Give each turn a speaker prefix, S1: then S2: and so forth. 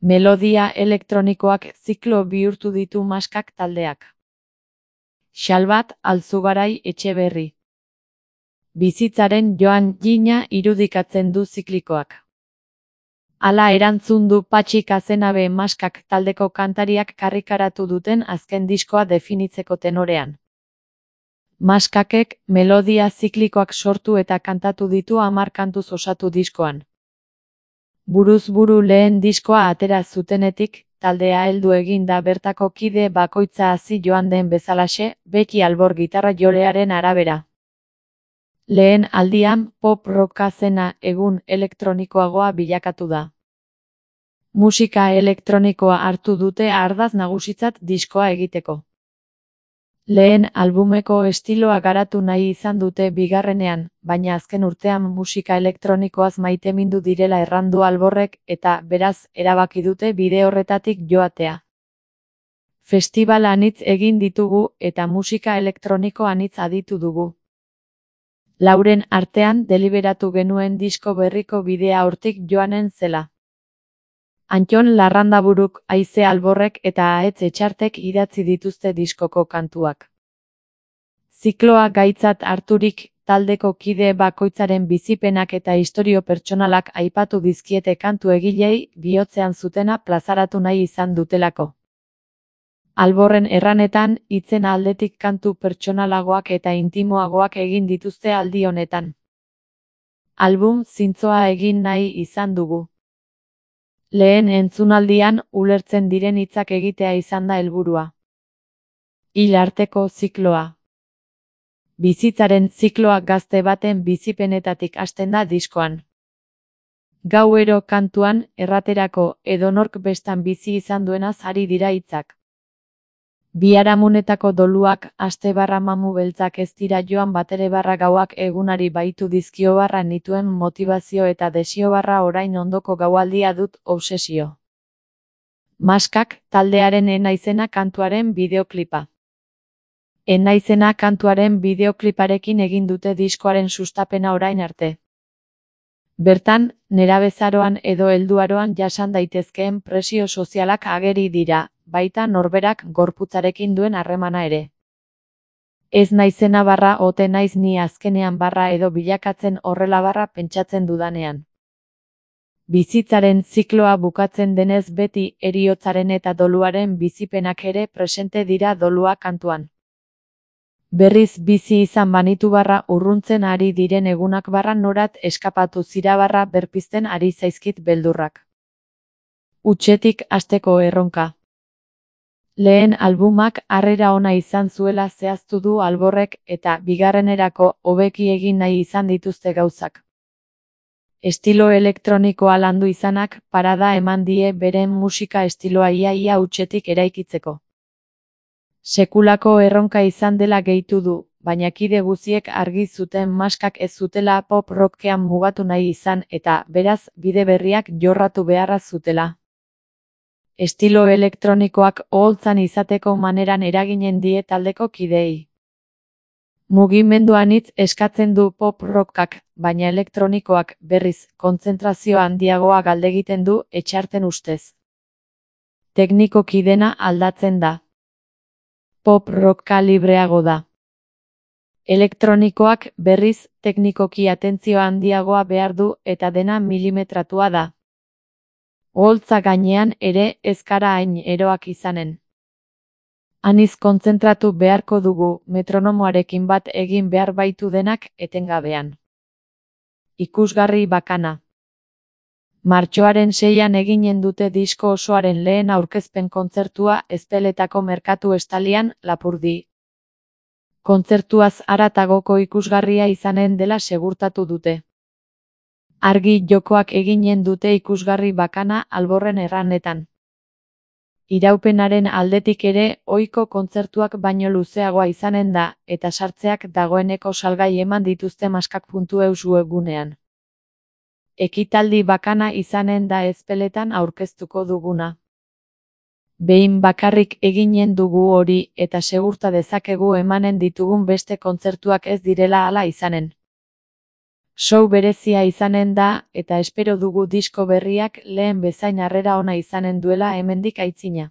S1: Melodia elektronikoak ziklo bihurtu ditu Maskak taldeak. Xalbat Alzugarai Etxeberri. Bizitzaren joan jina irudikatzen du ziklikoak. Hala erantzun du Patxi Kazenabe Maskak taldeko kantariak karrikaratu duten azken diskoa definitzeko tenorean. Maskakek melodia ziklikoak sortu eta kantatu ditu 10 kantuz osatu diskoan. Buruz buru lehen diskoa atera zutenetik, taldea heldu egin da bertako kide bakoitza hasi joan den bezalaxe, beti albor gitarra jolearen arabera. Lehen aldian pop rocka zena egun elektronikoagoa bilakatu da. Musika elektronikoa hartu dute ardatz nagusitzat diskoa egiteko. Lehen albumeko estiloa garatu nahi izan dute bigarrenean, baina azken urtean musika elektronikoaz maitemindu direla errandu alborrek eta beraz erabaki dute bide horretatik joatea. Festibal anitz egin ditugu eta musika elektroniko anitz aditu dugu. Lauren artean deliberatu genuen disko berriko bidea hortik joanen zela. Antton Larrandaburuk, Haize Alborrek eta Ahetz Etxartek idatzi dituzte diskoko kantuak. Zikloa gaitzat harturik, taldeko kide bakoitzaren bizipenak eta istorio pertsonalak aipatu dizkiete kantu egilei bihotzean zutena plazaratu nahi izan dutelako. Alborren erranetan, hitzen aldetik kantu pertsonalagoak eta intimoagoak egin dituzte aldi honetan. Album zintzoa egin nahi izan dugu. Lehen entzunaldian ulertzen diren hitzak egitea izan da helburua. Hil arteko zikloa. Bizitzaren zikloa gazte baten bizipenetatik hasten da diskoan. Gauero kantuan, erraterako edonork bestan bizi izan duenaz ari dira hitzak. Biharamunetako doluak, aste barra mamu beltzak ez dira joan batere barra gauak egunari baitu dizkio barra nituen motivazio eta desio barra orain ondoko gaualdia dut obsesio. Maskak taldearen Enaizena kantuaren bideoklipa. Enaizena kantuaren bideokliparekin egin dute diskoaren sustapena orain arte. Bertan, nerabezaroan edo helduaroan jasan daitezkeen presio sozialak ageri dira, baita norberak gorputzarekin duen harremana ere. Ez naizena barra ote naiz ni azkenean barra edo bilakatzen horrela barra pentsatzen dudanean. Bizitzaren zikloa bukatzen denez beti heriotzaren eta doluaren bizipenak ere presente dira dolua kantuan. Berriz bizi izan banitu barra urruntzen ari diren egunak barra norat eskapatu zira barra berpizten ari zaizkit beldurrak. Hutsetik hasteko erronka. Lehen albumak harrera ona izan zuela zehaztu du Alborrek eta bigarrenerako hobeki egin nahi izan dituzte gauzak. Estilo elektronikoa landu izanak parada eman die beren musika estiloa ia hutsetik eraikitzeko. Sekulako erronka izan dela gehitu du, baina kide guziek argi zuten Maskak ez zutela pop rockean mugatu nahi izan eta, beraz, bide berriak jorratu beharra zutela. Estilo elektronikoak oholtzan izateko maneran eraginen die taldeko kideei. Mugimendu anitz eskatzen du pop rockak, baina elektronikoak, berriz, kontzentrazio handiagoa galdegiten du Etxarten ustez. Teknikoki dena aldatzen da. Pop rocka libreago da. Elektronikoak, berriz, teknikoki atentzio handiagoa behar du eta dena milimetratua da. Oholtza gainean ere ez gara hain eroak izanen. Aniz kontzentratu beharko dugu metronomoarekin bat egin behar baitu denak etengabean. Ikusgarri bakana. Martxoaren 6an eginen dute disko osoaren lehen aurkezpen kontzertua Ezpeletako merkatu estalian, Lapurdi. Kontzertuaz haratagoko ikusgarria izanen dela segurtatu dute. Argi jokoak eginen dute ikusgarri bakana Alborren erranetan. Iraupenaren aldetik ere, ohiko kontzertuak baino luzeagoa izanen da, eta sartzeak dagoeneko salgai eman dituzte maskak.eus webgunean. Ekitaldi bakana izanen da Ezpeletan aurkeztuko duguna. Behin bakarrik eginen dugu hori eta segurta dezakegu emanen ditugun beste kontzertuak ez direla hala izanen. Show berezia izanen da, eta espero dugu disko berriak lehen bezain harrera ona izanen duela hemendik aitzina.